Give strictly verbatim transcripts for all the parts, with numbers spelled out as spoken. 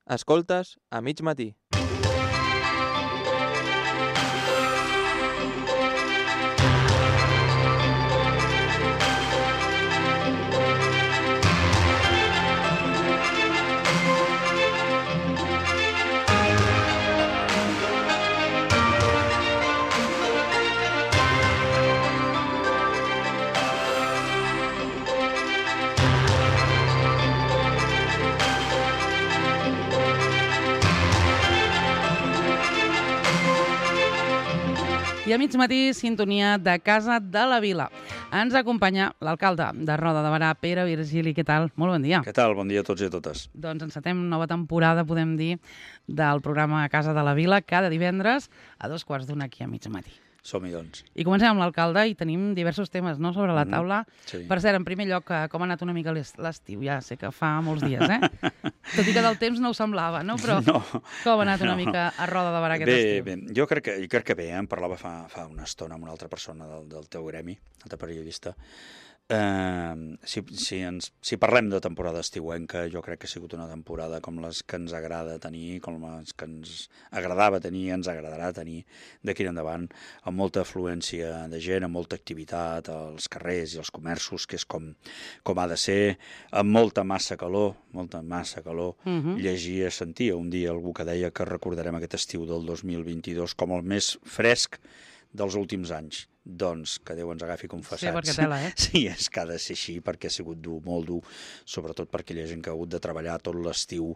Escoltes a mig matí. I a mig matí, sintonia de Casa de la Vila. Ens acompanya l'alcalde de Roda de Berà, Pere Virgili. Què tal? Molt bon dia. Què tal? Bon dia a tots i a totes. Doncs encetem nova temporada, podem dir, del programa Casa de la Vila, cada divendres a dos quarts d'una aquí a mig matí. Som-hi, doncs. I comencem amb l'alcalde i tenim diversos temes, no?, sobre la taula. Mm-hmm. Sí. Per cert, en primer lloc, com ha anat una mica l'estiu? Ja sé que fa molts dies, eh? Tot i que del temps no ho semblava, no? Però no, com ha anat una no. mica a Roda de Berà aquest bé, estiu? Bé, jo crec que, jo crec que bé, eh? Em parlava fa, fa una estona amb una altra persona del, del teu gremi, altre periodista. Uh, si, si, ens, si parlem de temporada estiuenca, jo crec que ha sigut una temporada com les que ens agrada tenir, com les que ens agradava tenir, ens agradarà tenir d'aquí endavant, amb molta afluència de gent, amb molta activitat als carrers i als comerços, que és com, com ha de ser, amb molta massa calor, molta massa calor. Uh-huh. Llegia, sentia un dia algú que deia que recordarem aquest estiu del dos mil vint-i-dos com el més fresc dels últims anys. Doncs que Déu ens agafi confessats. Sí, perquè tela, eh? Sí, és que ha de ser així, perquè ha sigut dur, molt dur, sobretot per aquella gent que ha hagut de treballar tot l'estiu.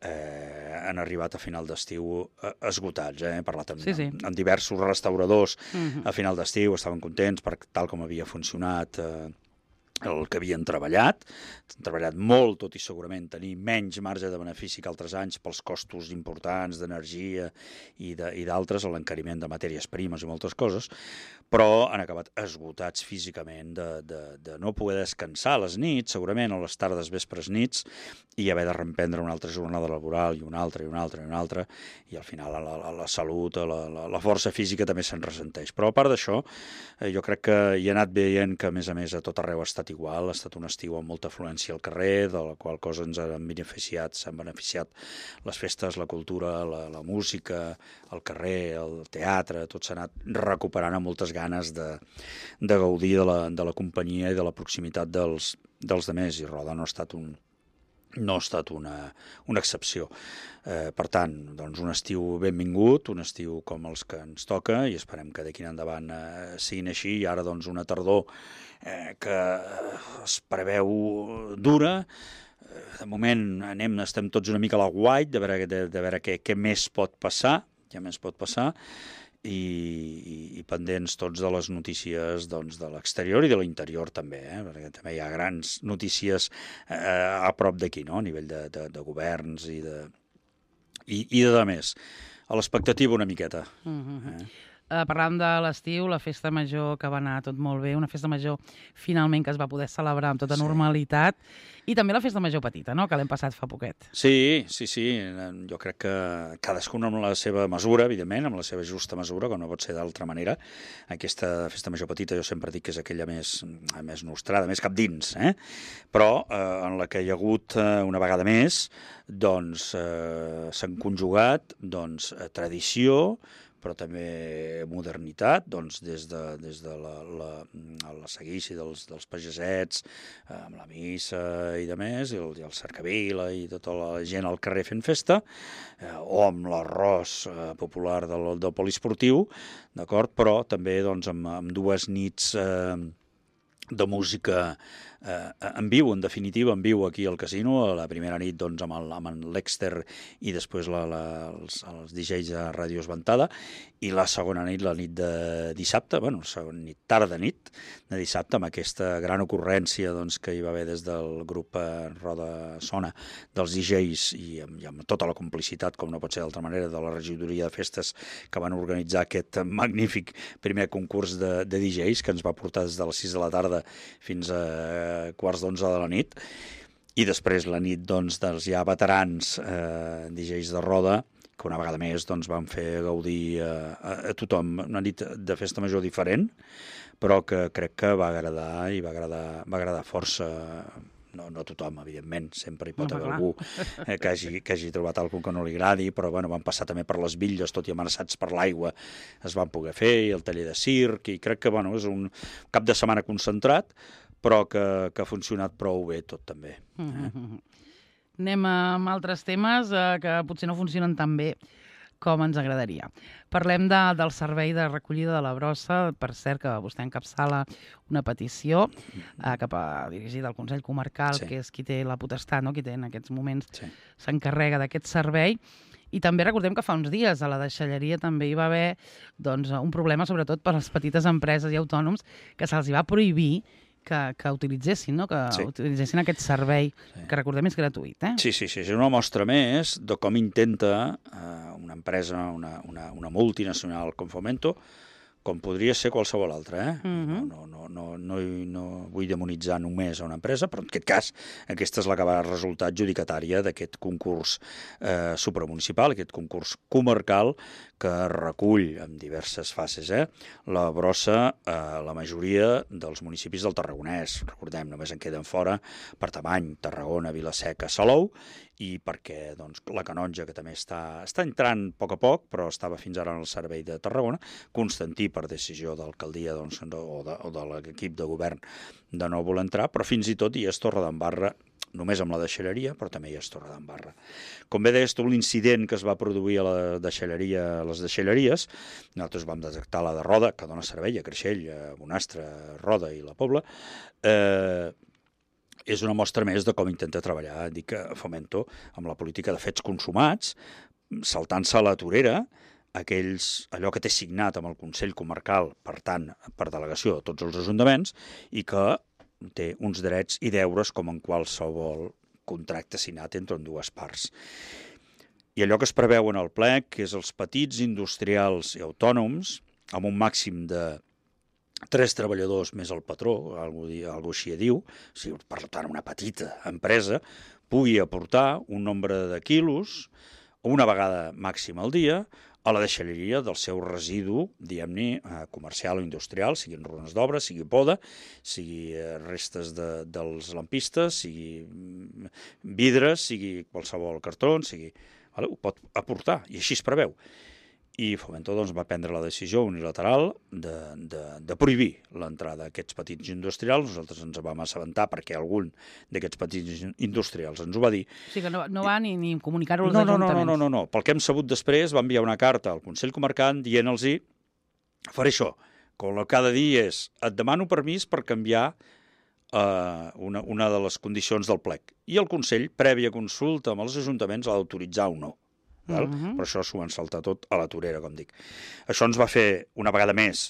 Eh, han arribat a final d'estiu eh, esgotats, eh? He parlat amb, Sí, sí. amb, amb diversos restauradors Uh-huh. a final d'estiu, estaven contents per tal com havia funcionat eh, el que havien treballat. Han treballat molt, tot i segurament tenir menys marge de benefici que altres anys pels costos importants d'energia i d'altres, l'encariment de matèries primes i moltes coses, però han acabat esgotats físicament de, de, de no poder descansar a les nits, segurament, a les tardes, vespres, nits, i haver de reemprendre una altra jornada laboral i una altra, i una altra, i una altra, i al final la, la, la salut, la, la, la força física també se'n ressenteix. Però a part d'això, eh, jo crec que hi ha anat veient que, a més a més, a tot arreu ha estat igual, ha estat un estiu amb molta afluència al carrer, de la qual cosa ens han beneficiat, s'han beneficiat les festes, la cultura, la, la música, el carrer, el teatre, tot s'ha anat recuperant amb moltes ganes de, de gaudir de la, de la companyia i de la proximitat dels, dels demés, i Roda no ha estat un, no ha estat una, una excepció. Eh, per tant, doncs un estiu benvingut, un estiu com els que ens toca, i esperem que d'aquí en endavant eh, siguin així, i ara doncs una tardor eh, que es preveu dura. Eh, de moment anem, estem tots una mica a la guait, de veure, de, de veure què, què més pot passar, què més pot passar, I, i, i pendents tots de les notícies doncs, de l'exterior i de l'interior també, eh? Perquè també hi ha grans notícies eh, a prop d'aquí, no? A nivell de, de, de governs i de, i, i de més. A l'expectativa una miqueta. Uh-huh. Eh? Uh, parlàvem de l'estiu, la festa major que va anar tot molt bé, una festa major finalment que es va poder celebrar amb tota Sí. normalitat, i també la festa major petita, no?, que l'hem passat fa poquet. Sí, sí, sí. Jo crec que cadascun amb la seva mesura, evidentment, amb la seva justa mesura, com no pot ser d'altra manera. Aquesta festa major petita jo sempre dic que és aquella més, més nostrada, més cap dins, eh? Però eh, en la que hi ha hagut eh, una vegada més, doncs eh, s'han conjugat doncs, eh, tradició, però també modernitat, doncs, des de, des de la, la, la seguici dels, dels pagesets, eh, amb la missa i de més, i el, i el cercavila i tota la gent al carrer fent festa, eh, o amb l'arròs eh, popular del, del poliesportiu, d'acord? Però també doncs, amb, amb dues nits eh, de música eh, en viu, en definitiva, en viu aquí al casino, a la primera nit doncs, amb, el, amb l'Exter i després la, la, els, els D Js de Ràdio Esventada, i la segona nit, la nit de dissabte, bueno, la segona nit, tarda nit de dissabte, amb aquesta gran ocurrència doncs, que hi va haver des del grup eh, Roda Sona dels D Js i amb, i amb tota la complicitat, com no pot ser d'altra manera, de la regidoria de festes que van organitzar aquest magnífic primer concurs de, de D Js que ens va portar des de les sis de la tarda fins a quarts d'onze de la nit, i després la nit doncs, dels ja veterans eh, D Js de Roda, que una vegada més doncs, van fer gaudir eh, a, a tothom, una nit de festa major diferent, però que crec que va agradar i va agradar, va agradar força. no, no tothom, evidentment, sempre hi pot No, haver clar. algú eh, que, hagi, que hagi trobat alguna que no li agradi, però bueno, van passar també per les bitlles, tot i amenaçats per l'aigua, es van poder fer, i el taller de circ, i crec que bueno, és un cap de setmana concentrat, però que, que ha funcionat prou bé tot també. Mm -hmm. Anem amb altres temes eh, que potser no funcionen tan bé com ens agradaria. Parlem de, del servei de recollida de la brossa, per cert que vostè encapçala una petició eh, cap a, dirigida al Consell Comarcal, Sí. que és qui té la potestat, no? Qui té en aquests moments Sí. s'encarrega d'aquest servei. I també recordem que fa uns dies a la deixalleria també hi va haver doncs, un problema, sobretot per a les petites empreses i autònoms, que se'ls hi va prohibir que, que utilitzessin, no? que Sí. utilitzessin aquest servei, Sí. que recordem és gratuït. Eh? Sí, sí, sí, és una mostra més de com intenta eh, una empresa, una, una, una multinacional com Fomento, com podria ser qualsevol altra. Eh? Mhm. no, no, no, no, no vull demonitzar només a una empresa, però en aquest cas aquesta és la que va resultar adjudicatària d'aquest concurs eh, supramunicipal, aquest concurs comarcal que recull en diverses fases eh, la brossa a la majoria dels municipis del Tarragonès. Recordem, només en queden fora per Tamany, Tarragona, Vila-seca, Salou, i perquè doncs, la Canonja, que també està, està entrant a poc a poc, però estava fins ara en el servei de Tarragona, Constantí, per decisió d'alcaldia doncs, o de, o de l'equip de govern, de no voler entrar, però fins i tot hi és Torredembarra, només amb la deixalleria, però també hi és Torredembarra. Com bé deies tu, l'incident que es va produir a la deixalleria, a les deixalleries, nosaltres vam detectar la de Roda, que dona servei a Creixell, a Bonastre, a Roda i la Pobla, eh, és una mostra més de com intenta treballar, dic que Fomento, amb la política de fets consumats, saltant-se a la torera, aquells, allò que té signat amb el Consell Comarcal, per tant, per delegació de tots els ajuntaments, i que té uns drets i deures com en qualsevol contracte signat entre dues parts. I allò que es preveu en el plec, que és els petits industrials i autònoms, amb un màxim de tres treballadors més el patró, algú, algú així diu, o sigui, per tant, una petita empresa, pugui aportar un nombre de quilos una vegada màxima al dia a la deixalleria del seu residu, diguem-ne, comercial o industrial, siguin runes d'obra, sigui poda, sigui restes de, dels lampistes, sigui vidres, sigui qualsevol cartró, sigui... Vale? Ho pot aportar, i així es preveu. I Fomento doncs, va prendre la decisió unilateral de, de, de prohibir l'entrada d'aquests petits industrials. Nosaltres ens vam assabentar perquè algun d'aquests petits industrials ens ho va dir. O sigui que no, no va ni, ni comunicar-ho als no, no, no, ajuntaments. no, no, no. Pel que hem sabut després, va enviar una carta al Consell Comarcal dient-los faré això, que el que ha de dir és et demano permís per canviar uh, una, una de les condicions del plec. I el Consell, prèvia consulta amb els ajuntaments, l'ha d'autoritzar o no. Val? Uh-huh. Però això s'ho van saltar tot a la torera, com dic. Això ens va fer, una vegada més,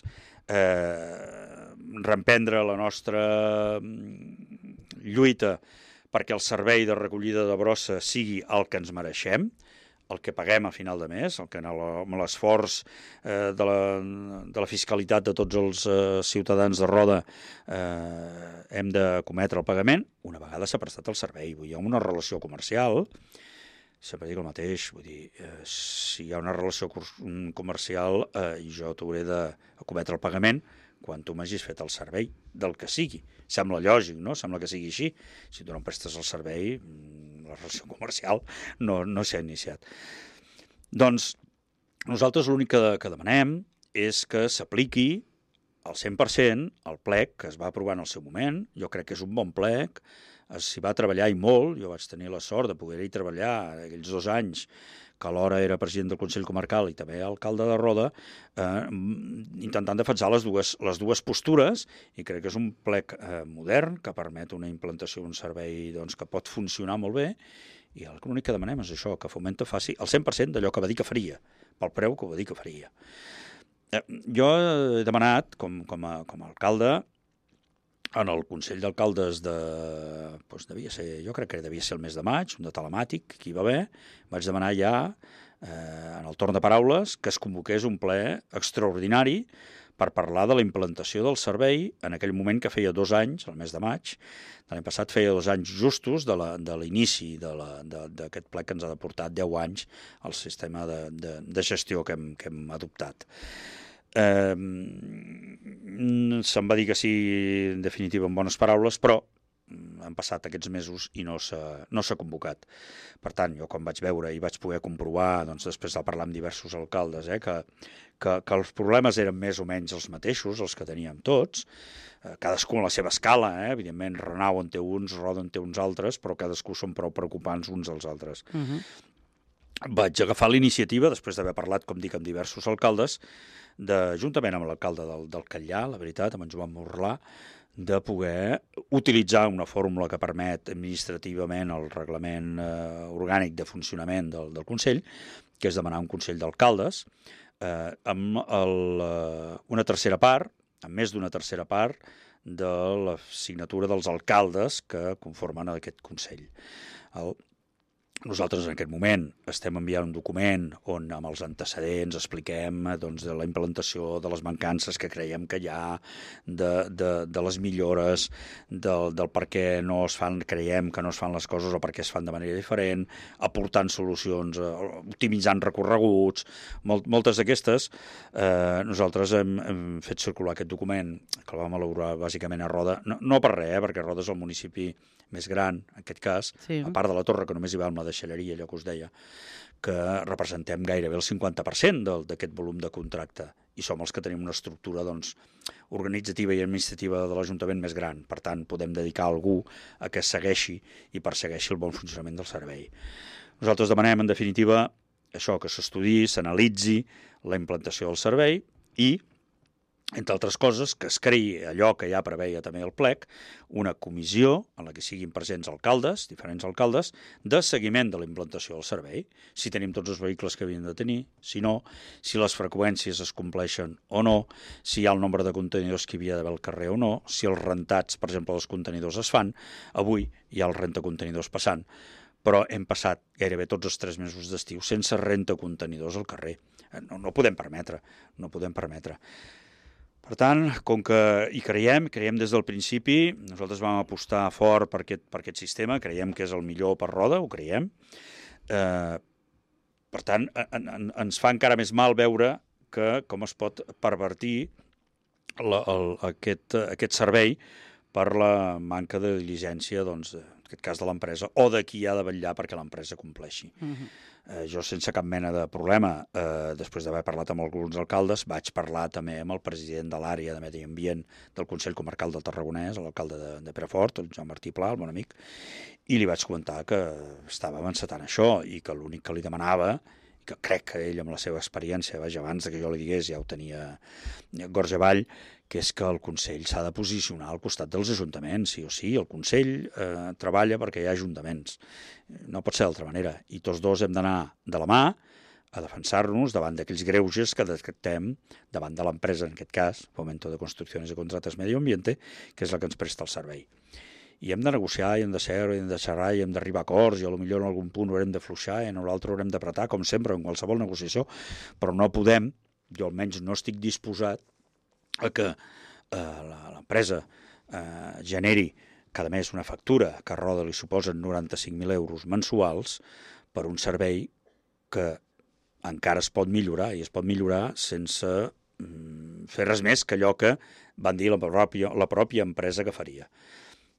eh, reemprendre la nostra lluita perquè el servei de recollida de brossa sigui el que ens mereixem, el que paguem a final de mes, el que amb l'esforç eh, de, la, de la fiscalitat de tots els eh, ciutadans de Roda eh, hem de cometre el pagament, una vegada s'ha prestat el servei. Vull dir, hi ha una relació comercial, sempre dic el mateix, vull dir, eh, si hi ha una relació comercial eh, i jo t'hauré de cometre el pagament quan tu m'hagis fet el servei del que sigui. Sembla lògic, no? Sembla que sigui així. Si tu no em prestes el servei, la relació comercial no, no s'ha iniciat. Doncs nosaltres l'únic que, que demanem és que s'apliqui al cent per cent el plec que es va aprovar en el seu moment. Jo crec que és un bon plec, s'hi va treballar i molt. Jo vaig tenir la sort de poder-hi treballar aquells dos anys que alhora era president del Consell Comarcal i també alcalde de Roda, eh, intentant defensar les dues, les dues postures, i crec que és un plec eh, modern que permet una implantació d'un servei doncs, que pot funcionar molt bé, i l'únic que demanem és això, que Fomento faci el cent per cent d'allò que va dir que faria, pel preu que va dir que faria. Eh, jo he demanat, com, com, a, com a alcalde, en el Consell d'Alcaldes de... Doncs devia ser, jo crec que devia ser el mes de maig, un de telemàtic, que hi va haver, vaig demanar ja, eh, en el torn de paraules, que es convoqués un ple extraordinari per parlar de la implantació del servei en aquell moment que feia dos anys, el mes de maig, de l'any passat feia dos anys justos de l'inici d'aquest ple que ens ha de portar deu anys al sistema de, de, de gestió que hem, que hem adoptat. Eh, se'm va dir que sí, en definitiva, en bones paraules, però han passat aquests mesos i no s'ha no s'ha convocat. Per tant, jo quan vaig veure i vaig poder comprovar, doncs després de parlar amb diversos alcaldes, eh, que, que, que els problemes eren més o menys els mateixos, els que teníem tots, eh, cadascú a la seva escala, eh, evidentment Renau en té uns, Roda en té uns altres, però cadascú són prou preocupants uns dels altres. Uh -huh. Vaig agafar la iniciativa, després d'haver parlat, com dic, amb diversos alcaldes, de, juntament amb l'alcalde del, del Catllà, la veritat, amb en Joan Morlà, de poder utilitzar una fórmula que permet administrativament el reglament eh, orgànic de funcionament del, del Consell, que és demanar un Consell d'Alcaldes, eh, amb el, eh, una tercera part, amb més d'una tercera part, de la signatura dels alcaldes que conformen aquest Consell. El, Nosaltres en aquest moment estem enviant un document on amb els antecedents expliquem doncs, de la implantació de les mancances que creiem que hi ha, de, de, de les millores, del, del per què no es fan, creiem que no es fan les coses o per què es fan de manera diferent, aportant solucions, optimitzant recorreguts, molt, moltes d'aquestes. Eh, nosaltres hem, hem fet circular aquest document, que el vam elaborar bàsicament a Roda, no, no per res, eh, perquè Roda és el municipi més gran, en aquest cas, sí. A part de la Torre, que només hi va amb la deixalleria, allò que us deia, que representem gairebé el cinquanta per cent d'aquest volum de contracte, i som els que tenim una estructura doncs, organitzativa i administrativa de l'Ajuntament més gran. Per tant, podem dedicar a algú a que segueixi i persegueixi el bon funcionament del servei. Nosaltres demanem, en definitiva, això, que s'estudiï, s'analitzi la implantació del servei i, entre altres coses, que es creï allò que ja preveia també el plec, una comissió en la que siguin presents alcaldes, diferents alcaldes, de seguiment de la implantació del servei, si tenim tots els vehicles que havien de tenir, si no, si les freqüències es compleixen o no, si hi ha el nombre de contenidors que hi havia d'haver al carrer o no, si els rentats, per exemple, dels contenidors es fan. Avui hi ha el rentacontenidors passant, però hem passat gairebé tots els tres mesos d'estiu sense rentacontenidors al carrer. No, no podem permetre, no podem permetre. Per tant, com que hi creiem, creiem des del principi, nosaltres vam apostar fort per aquest, per aquest sistema, creiem que és el millor per Roda, ho creiem. Eh, per tant, en, en, ens fa encara més mal veure que com es pot pervertir la, el, aquest, aquest servei per la manca de diligència, doncs, en aquest cas de l'empresa, o de qui ha de vetllar perquè l'empresa compleixi. Uh-huh. Eh, jo, sense cap mena de problema, eh, després d'haver parlat amb alguns alcaldes, vaig parlar també amb el president de l'àrea de Medi Ambient del Consell Comarcal del Tarragonès, l'alcalde de, de Perafort, el Joan Martí Pla, el bon amic, i li vaig comentar que estàvem encetant això i que l'únic que li demanava, que crec que ell amb la seva experiència, vaja, abans que jo li digués, ja ho tenia Gorge Vall, que és que el Consell s'ha de posicionar al costat dels ajuntaments, sí o sí. El Consell eh, treballa perquè hi ha ajuntaments. No pot ser d'altra manera. I tots dos hem d'anar de la mà a defensar-nos davant d'aquells greuges que detectem davant de l'empresa, en aquest cas, Fomento de Construcciones y Contratas Medio Ambiente, que és la que ens presta el servei. I hem de negociar, i hem de seure, i hem de xerrar, i hem d'arribar a acords, i potser en algun punt haurem de fluixar, i en l'altre haurem d'apretar, com sempre, en qualsevol negociació, però no podem, jo almenys no estic disposat a que eh, l'empresa eh, generi cada mes una factura que a Roda li suposen noranta-cinc mil euros mensuals per un servei que encara es pot millorar, i es pot millorar sense mm, fer res més que allò que van dir la pròpia, la pròpia empresa que faria.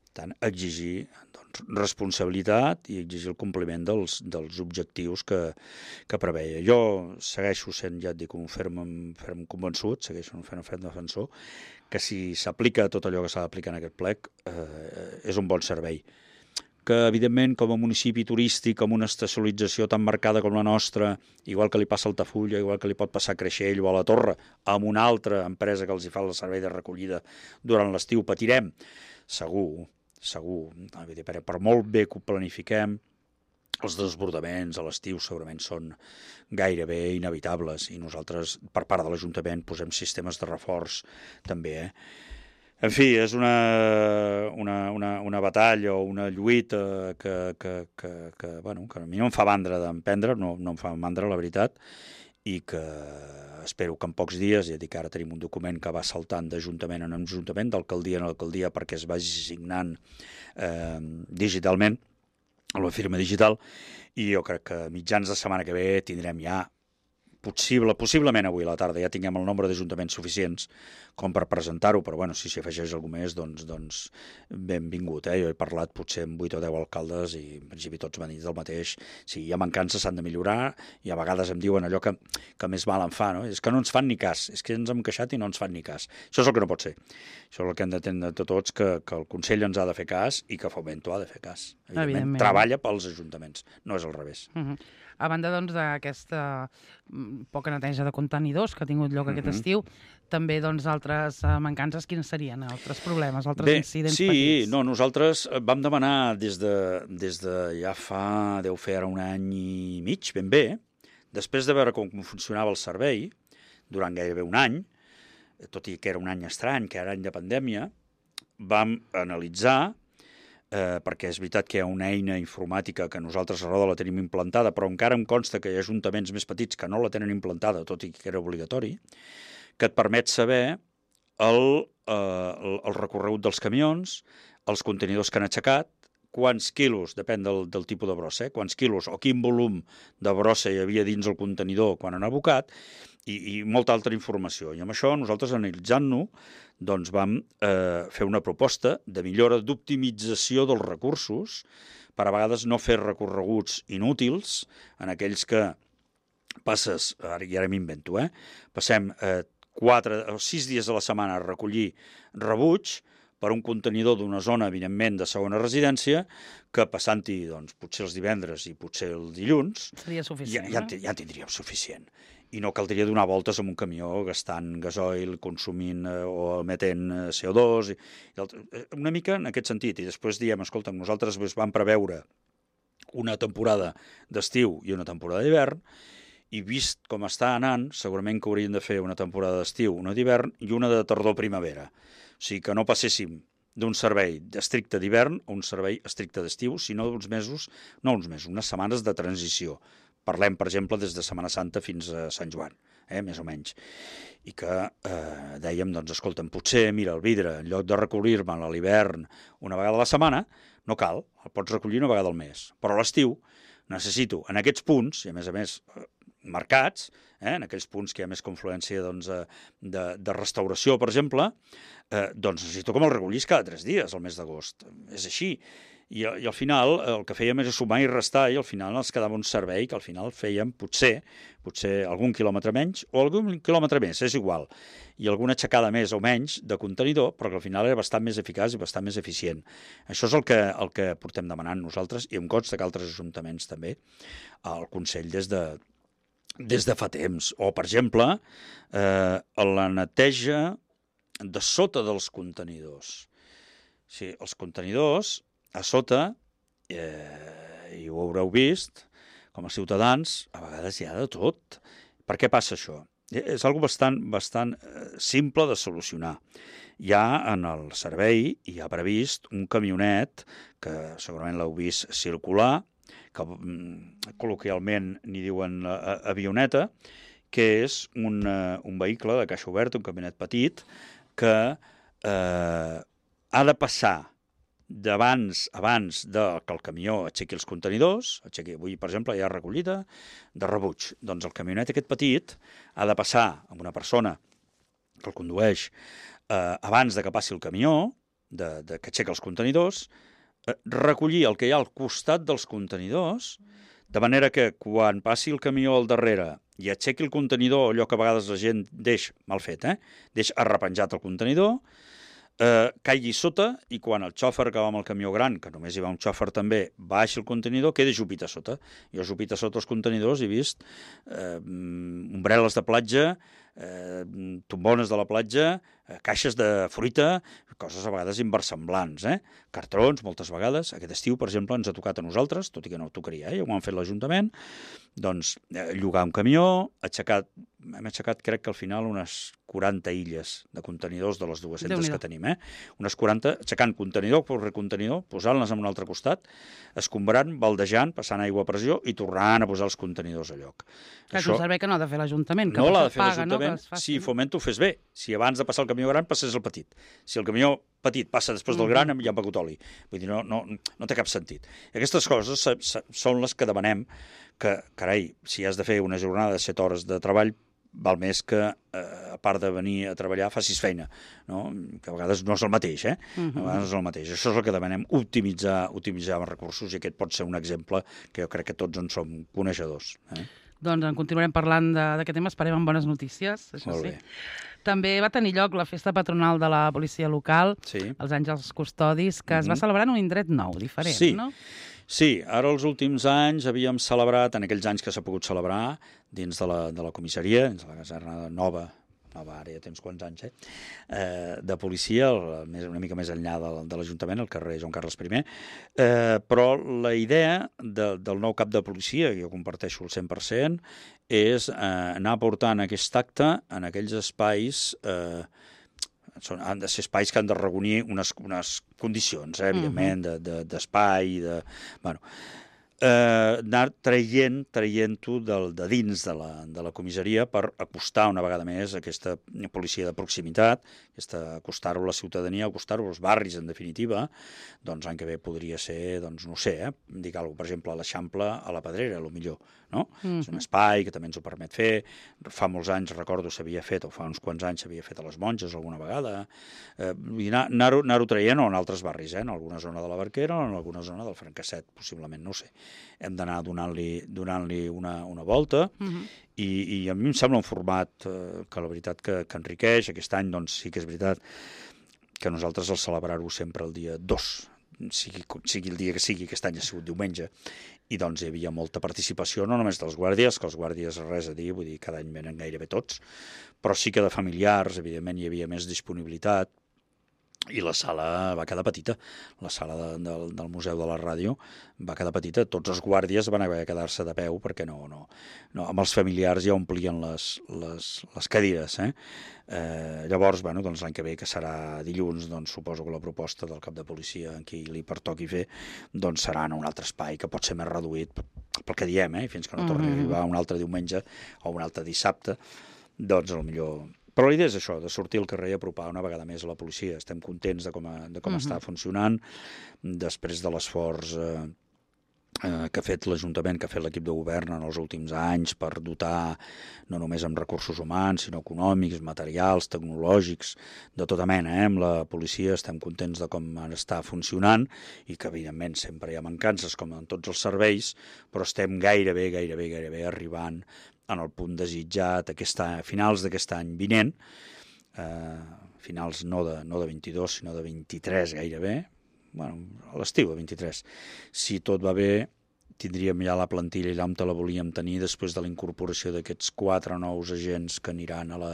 Per tant, exigir doncs, responsabilitat i exigir el compliment dels, dels objectius que, que preveia. Jo segueixo sent, ja et dic, un ferm, ferm convençut, segueixo un ferm, ferm defensor, que si s'aplica tot allò que s'ha d'aplicar en aquest plec, eh, és un bon servei. Que, evidentment, com a municipi turístic, amb una estacionalització tan marcada com la nostra, igual que li passa a Altafulla, igual que li pot passar a Creixell o a la Torre, amb una altra empresa que els hi fa el servei de recollida durant l'estiu, patirem, segur, segur, per, per molt bé que ho planifiquem, els desbordaments a l'estiu segurament són gairebé inevitables i nosaltres, per part de l'Ajuntament, posem sistemes de reforç també, eh? En fi, és una, una, una, una batalla o una lluita que, que, que, que, bueno, que a mi no em fa mandra d'emprendre, no, no em fa mandra, la veritat, i que espero que en pocs dies, ja dic, ara tenim un document que va saltant d'ajuntament en ajuntament, d'alcaldia en alcaldia, perquè es vagi signant eh, digitalment, a la firma digital, i jo crec que mitjans de setmana que ve tindrem ja possible, possiblement avui a la tarda ja tinguem el nombre d'ajuntaments suficients com per presentar-ho, però bueno, si s'hi afegeix algú més, doncs, doncs benvingut. Eh? Jo he parlat potser amb vuit o deu alcaldes i en principi tots m'han dit el mateix. Sí, hi ha mancances, s'han de millorar, i a vegades em diuen allò que, que més mal em fa, no? És que no ens fan ni cas, és que ens hem queixat i no ens fan ni cas. Això és el que no pot ser. Això és el que hem d'entendre de tots, que, que el Consell ens ha de fer cas i que Fomento ha de fer cas. Evidentment, Evidentment. Treballa pels ajuntaments, no és al revés. Uh -huh. A banda doncs, d'aquesta poca neteja de contenidors que ha tingut lloc aquest uh -huh. estiu, també doncs, altres mancances, quines serien? Altres problemes, altres Bé, incidents sí, petits? Sí, no, nosaltres vam demanar des de, des de ja fa, deu fer ara un any i mig, ben bé, després de veure com funcionava el servei, durant gairebé un any, tot i que era un any estrany, que era any de pandèmia, vam analitzar, eh, perquè és veritat que hi ha una eina informàtica que nosaltres a Roda la tenim implantada, però encara em consta que hi ha ajuntaments més petits que no la tenen implantada, tot i que era obligatori, que et permet saber el, eh, el, el recorregut dels camions, els contenidors que han aixecat, quants quilos, depèn del, del tipus de brossa, eh? quants quilos o quin volum de brossa hi havia dins el contenidor quan han abocat, i, i molta altra informació. I amb això, nosaltres, analitzant-ho, doncs vam eh, fer una proposta de millora d'optimització dels recursos per a vegades no fer recorreguts inútils en aquells que passes, ara, i ara m'invento, eh? passem eh, quatre o sis dies a la setmana a recollir rebuig per un contenidor d'una zona, evidentment, de segona residència, que passant-hi, doncs, potser els divendres i potser el dilluns, seria suficient, ja, ja, ja en tindríem suficient. I no caldria donar voltes amb un camió gastant gasoil, consumint eh, o emetent eh, C O dos, i, i una mica en aquest sentit. I després diem, escolta, nosaltres vam preveure una temporada d'estiu i una temporada d'hivern, i vist com està anant, segurament que hauríem de fer una temporada d'estiu, una d'hivern i una de tardor-primavera. O sigui, que no passéssim d'un servei estricte d'hivern a un servei estricte d'estiu, sinó d'uns mesos, no uns mesos, unes setmanes de transició. Parlem, per exemple, des de Setmana Santa fins a Sant Joan, eh, més o menys. I que eh, dèiem, doncs, escolta'm, potser, mira, el vidre, en lloc de recollir-me'l a l'hivern una vegada a la setmana, no cal, el pots recollir una vegada al mes. Però a l'estiu necessito, en aquests punts, i a més a més marcats, eh, en aquells punts que hi ha més confluència doncs, de, de restauració, per exemple, eh, doncs necessito que me'l recollis cada tres dies al mes d'agost. És així. I, I al final el que fèiem és sumar i restar, i al final ens quedava un servei que al final fèiem potser, potser algun quilòmetre menys o algun quilòmetre més, és igual, i alguna aixecada més o menys de contenidor, però que al final era bastant més eficaç i bastant més eficient. Això és el que, el que portem demanant nosaltres, i em consta que altres ajuntaments també, al Consell des de des de fa temps. O, per exemple, eh, la neteja de sota dels contenidors. O sigui, els contenidors, a sota, eh, i ho haureu vist, com a ciutadans, a vegades hi ha de tot. Per què passa això? És una cosa bastant, bastant simple de solucionar. Hi ha en el servei, hi ha previst un camionet, que segurament l'heu vist circular, que col·loquialment n'hi diuen avioneta, que és un, un vehicle de caixa oberta, un camionet petit, que eh, ha de passar d'abans abans de que el camió aixequi els contenidors, aixequi, avui, per exemple, hi ha recollida de rebuig. Doncs el camionet aquest petit ha de passar amb una persona que el condueix eh, abans de que passi el camió, de, de que aixeca els contenidors, recollir el que hi ha al costat dels contenidors, de manera que quan passi el camió al darrere i aixequi el contenidor, allò que a vegades la gent deix, mal fet, eh? deix arrepenjat el contenidor, eh, caigui sota, i quan el xòfer que va amb el camió gran, que només hi va un xòfer també, baixi el contenidor, queda jupit a sota. Jo jupit a sota els contenidors he vist eh, ombrel·les de platja, eh, tombones de la platja, eh, caixes de fruita, coses a vegades inversemblants, eh? Cartrons, moltes vegades. Aquest estiu, per exemple, ens ha tocat a nosaltres, tot i que no tocaria, eh? ho han fet l'Ajuntament, doncs eh, llogar un camió, aixecat, hem aixecat, crec que al final, unes quaranta illes de contenidors de les dues-centes que tenim, eh? Unes quaranta, aixecant contenidor per recontenidor, posant-les en un altre costat, escombrant, baldejant, passant aigua a pressió i tornant a posar els contenidors a lloc. Que Això... és un servei que no ha de fer l'Ajuntament, que no l'ha de fer l'Ajuntament, no? Si Fomento ho fes bé, si abans de passar el camió gran passés el petit. Si el camió petit passa després del gran, ja ha begut oli. Vull dir, no, no, no té cap sentit. I aquestes coses són les que demanem que, carai, si has de fer una jornada de set hores de treball, val més que, eh, a part de venir a treballar, facis feina, no? Que a vegades no és el mateix, eh? Uh-huh. A vegades no és el mateix. Això és el que demanem, optimitzar, optimitzar els recursos, i aquest pot ser un exemple que jo crec que tots en som coneixedors. Eh? Doncs en continuarem parlant d'aquest tema, esperem amb bones notícies, això Molt sí. bé. També va tenir lloc la festa patronal de la policia local, Sí. els Àngels Custodis, que es va Mhm. celebrar en un indret nou, diferent, Sí. no? Sí, ara els últims anys havíem celebrat, en aquells anys que s'ha pogut celebrar, dins de la, de la comissaria, dins de la caserna nova, nova ara ja tens quants anys, eh? Eh, de policia, el, més, una mica més enllà de, de l'Ajuntament, al carrer Joan Carles I. Eh, però la idea de, del nou cap de policia, que jo comparteixo el cent per cent, és eh, anar portant aquest acte en aquells espais... Eh, són, han de ser espais que han de reunir unes, unes condicions, eh, evidentment, uh-huh. de, de, d'espai, de... Bueno, eh, anar traient, traient-ho del, de dins de la, de la comissaria per acostar una vegada més aquesta policia de proximitat, aquesta, acostar-ho a la ciutadania, acostar-ho als barris, en definitiva. Doncs l'any que ve podria ser, doncs no sé, eh, dic alguna cosa, per exemple, a l'Eixample, a la Pedrera, a lo millor, no? Mm-hmm. És un espai que també ens ho permet fer. Fa molts anys, recordo, s'havia fet, o fa uns quants anys s'havia fet a les Monges alguna vegada. Eh, i anar, anar-ho, anar-ho traient o en altres barris, eh, en alguna zona de la Barquera o en alguna zona del Francasset, possiblement, no ho sé. Hem d'anar donant-li donant-li una, una volta, uh-huh. i, i a mi em sembla un format eh, que la veritat que, que enriqueix. Aquest any doncs sí que és veritat que nosaltres el celebrar-ho sempre el dia dos, sigui, sigui el dia que sigui, aquest any ha sigut diumenge, i doncs hi havia molta participació, no només dels guàrdies, que els guàrdies res a dir, vull dir, cada any venen gairebé tots, però sí que de familiars, evidentment, hi havia més disponibilitat, i la sala va quedar petita, la sala de, de, del Museu de la Ràdio va quedar petita, tots els guàrdies van haver de quedar-se de peu perquè no, no, no, amb els familiars ja omplien les, les, les cadires, eh? Eh, llavors, bueno, doncs l'any que ve, que serà dilluns, doncs suposo que la proposta del cap de policia en qui li pertoqui fer, doncs serà en un altre espai que pot ser més reduït, pel que diem, eh? Fins que no torni a arribar un altre diumenge o un altre dissabte, doncs potser... Però la idea és això, de sortir al carrer i apropar una vegada més a la policia. Estem contents de com, a, de com uh-huh. està funcionant, després de l'esforç eh, eh, que ha fet l'Ajuntament, que ha fet l'equip de govern en els últims anys per dotar no només amb recursos humans, sinó econòmics, materials, tecnològics, de tota mena. Eh? Amb la policia estem contents de com està funcionant i que, evidentment, sempre hi ha mancances, com en tots els serveis, però estem gairebé, gairebé, gairebé arribant en el punt desitjat aquest any, a finals d'aquest any vinent, eh, finals no de, no de vint-i-dos, sinó de vint-i-tres gairebé, bueno, a l'estiu de vint-i-tres. Si tot va bé, tindríem ja la plantilla allà on te la volíem tenir després de la incorporació d'aquests quatre nous agents que aniran a la...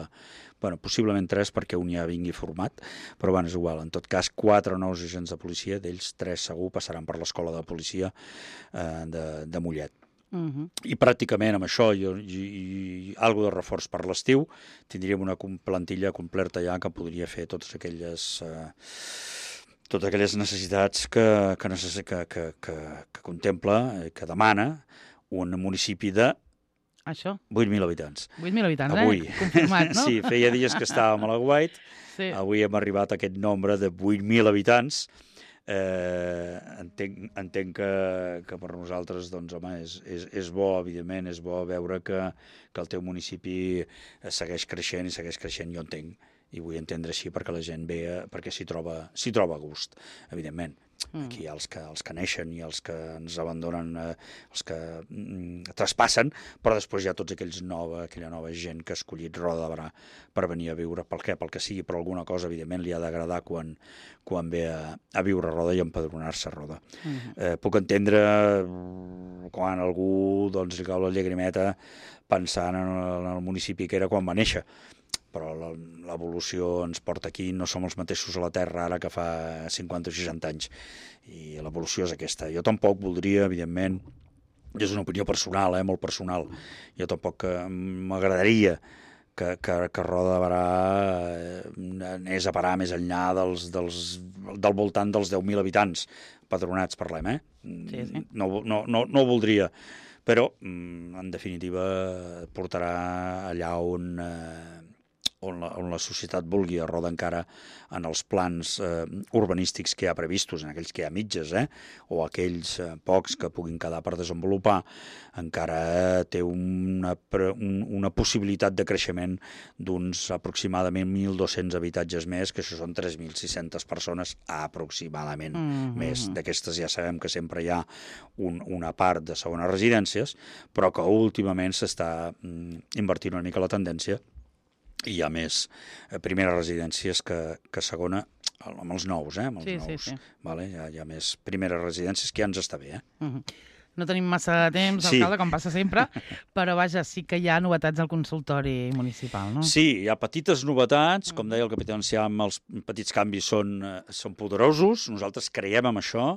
Bueno, possiblement tres perquè un ja vingui format, però bueno, és igual. En tot cas, quatre nous agents de policia, d'ells tres segur passaran per l'escola de policia eh, de, de Mollet. Uh-huh. I pràcticament amb això i, i, i algo de reforç per l'estiu tindríem una plantilla completa ja que podria fer totes aquelles eh, totes aquelles necessitats que, que, necess... que, que, que, que contempla, que demana un municipi de això? vuit mil habitants. vuit mil habitants, avui. Eh? Confirmat, no? Sí, feia dies que estàvem a la Guait, sí. Avui hem arribat a aquest nombre de vuit mil habitants. Eh, entenc, entenc que, que per nosaltres doncs, home, és, és, és bo, evidentment, és bo veure que, que el teu municipi segueix creixent i segueix creixent, jo entenc, i vull entendre així perquè la gent ve, perquè s'hi troba, s'hi troba a gust, evidentment. Mm. Aquí hi ha els que, els que neixen i els que ens abandonen, eh, els que mm, traspassen, però després hi ha tots aquells nova, aquella nova gent que ha escollit Roda de Berà per venir a viure, pel què, pel que sigui, però alguna cosa, evidentment, li ha d'agradar quan, quan ve a, a viure a Roda i empadronar-se a Roda. Mm. Eh, puc entendre quan algú doncs, li cau la llagrimeta pensant en el, en el municipi que era quan va néixer, però l'evolució ens porta aquí, no som els mateixos a la Terra ara que fa cinquanta o seixanta anys, i l'evolució és aquesta. Jo tampoc voldria, evidentment, és una opinió personal, eh, molt personal, jo tampoc m'agradaria que, que, que Roda de Berà anés a parar més enllà dels, dels, del voltant dels deu mil habitants padronats, parlem, eh? Sí, sí. No, no, no, no ho voldria, però, en definitiva, portarà allà on... Eh, on la, on la societat vulgui, a Roda encara en els plans eh, urbanístics que hi ha previstos, en aquells que hi ha mitges, eh, o aquells eh, pocs que puguin quedar per desenvolupar, encara té una, un, una possibilitat de creixement d'uns aproximadament mil dos-cents habitatges més, que això són tres mil sis-centes persones aproximadament mm-hmm. més. D'aquestes ja sabem que sempre hi ha un, una part de segones residències, però que últimament s'està mm, invertint una mica la tendència i hi ha més eh, primeres residències que, que segona, amb els nous, eh? Amb els sí, nous, sí, sí. Vale? Hi, ha, hi ha més primeres residències, que ja ens està bé, eh? Uh-huh. No tenim massa temps, sí. alcalde, com passa sempre, però vaja, sí que hi ha novetats al consultori municipal, no? Sí, hi ha petites novetats, com deia el capità Enciam, els petits canvis són, són poderosos, nosaltres creiem en això,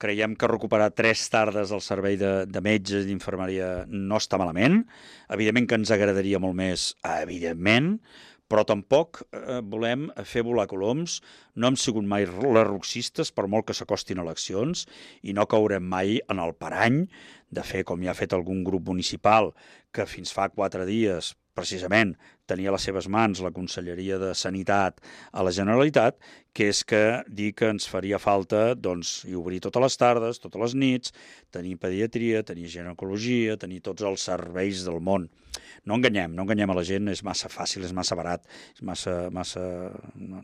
creiem que recuperar tres tardes al servei de, de metges i d'infermeria no està malament, evidentment que ens agradaria molt més, evidentment, però tampoc eh, volem fer volar coloms, no hem sigut mai lerroxistes per molt que s'acostin eleccions i no caurem mai en el parany de fer com ja ha fet algun grup municipal que fins fa quatre dies precisament tenia a les seves mans la Conselleria de Sanitat a la Generalitat, que és que dir que ens faria falta doncs, i obrir totes les tardes, totes les nits, tenir pediatria, tenir ginecologia, tenir tots els serveis del món. No enganyem, no enganyem a la gent, és massa fàcil, és massa barat, és massa... massa... No,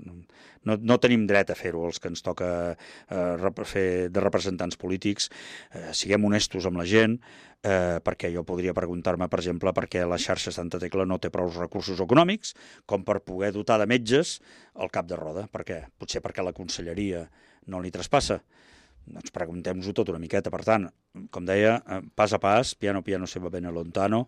no, no tenim dret a fer-ho, els que ens toca eh, fer de representants polítics. Eh, siguem honestos amb la gent, eh, perquè jo podria preguntar-me, per exemple, per què la xarxa Santa Tecla no té prou recursos econòmics com per poder dotar de metges el cap de roda. Per què? Potser perquè la conselleria no li traspassa. Doncs preguntem-nos-ho tot una miqueta. Per tant, com deia, pas a pas, piano piano se va bene lontano,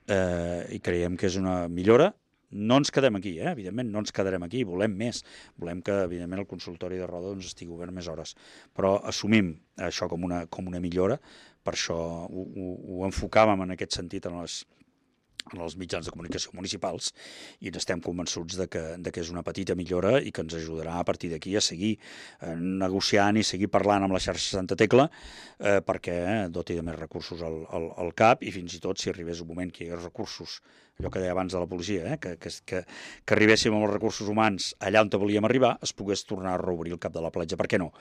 eh, i creiem que és una millora. No ens quedem aquí, eh? Evidentment, no ens quedarem aquí, volem més. Volem que, evidentment, el consultori de Roda doncs, estigui obert més hores. Però assumim això com una, com una millora, per això ho, ho, ho enfocàvem en aquest sentit en les en els mitjans de comunicació municipals i estem convençuts de que, de que és una petita millora i que ens ajudarà a partir d'aquí a seguir eh, negociant i seguir parlant amb la xarxa Santa Tecla eh, perquè doti de més recursos al, al, al C A P i fins i tot si arribés un moment que hi hagués recursos, allò que deia abans de la policia, eh, que, que, que, que arribéssim amb els recursos humans allà on volíem arribar, es pogués tornar a reobrir el cap de la platja. Per què no?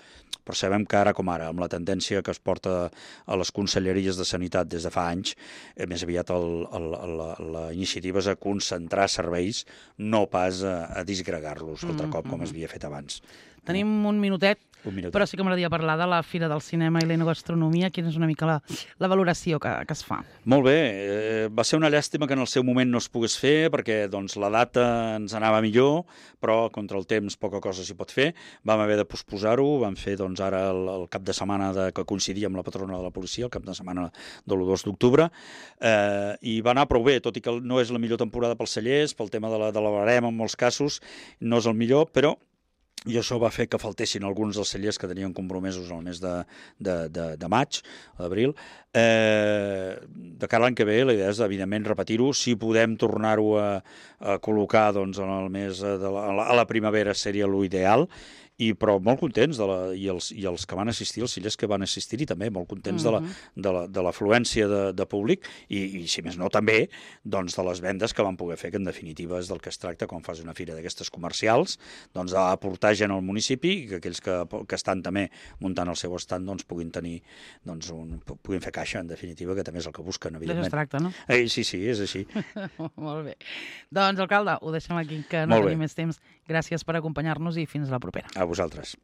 Però sabem que ara com ara, amb la tendència que es porta a les conselleries de Sanitat des de fa anys, eh, més aviat el, el, el, la iniciativa és a concentrar serveis, no pas a, a disgregar-los altre cop, com es havia fet abans. Tenim un minutet, un minutet. Però sí que m'agradaria parlar de la Fira del Cinema i l'Enogastronomia. Quina és una mica la, la valoració que, que es fa? Molt bé. Eh, va ser una llàstima que en el seu moment no es pogués fer, perquè doncs, la data ens anava millor, però contra el temps poca cosa s'hi pot fer. Vam haver de posposar-ho, vam fer doncs, ara el, el cap de setmana de, que coincidia amb la patrona de la policia, el cap de setmana de l'u dos d'octubre, eh, i va anar prou bé, tot i que no és la millor temporada pels cellers, pel tema de la, de la barema en molts casos, no és el millor, però i això va fer que faltessin alguns dels cellers que tenien compromesos al mes de, de, de, de maig, d'abril. Eh, de cara a l'any que ve, la idea és, evidentment, repetir-ho. Si podem tornar-ho a, a col·locar doncs, en el mes de la, a, la, a la primavera seria l'ideal, i però molt contents, de la, i, els, i els que van assistir, els cellers que van assistir-hi també, molt contents mm-hmm. de la, de l'afluència de, de, de públic i, i, si més no, també doncs, de les vendes que van poder fer, que en definitiva és del que es tracta quan fas una fira d'aquestes comercials, doncs d'aportar gent al municipi i que aquells que, que estan també muntant el seu estant doncs, puguin tenir, doncs, un, puguin fer caixa, en definitiva, que també és el que busquen, evidentment. D'això es tracta, no? Eh, sí, sí, és així. Molt bé. Doncs, alcalde, ho deixem aquí, que no Molt tenim bé. més temps. Gràcies per acompanyar-nos i fins la propera. A vosaltres.